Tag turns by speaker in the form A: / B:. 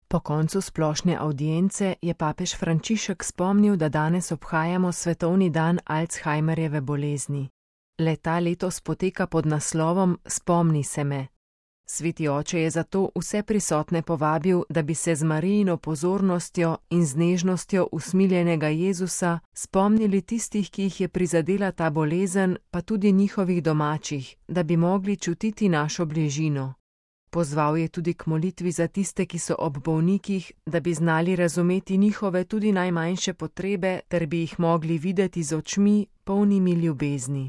A: Po koncu splošne avdience je papež Frančišek spomnil, da danes obhajamo svetovni dan Alzheimerjeve bolezni. Le-ta letos poteka pod naslovom Spomni se me. Sveti oče je zato vse prisotne povabil, da bi se z Marijino pozornostjo in z nežnostjo usmiljenega Jezusa spomnili tistih, ki jih je prizadela ta bolezen, pa tudi njihovih domačih, da bi mogli čutiti našo bližino. Pozval je tudi k molitvi za tiste, ki so ob bolnikih, da bi znali razumeti njihove tudi najmanjše potrebe, ter bi jih mogli videti z očmi, polnimi ljubezni.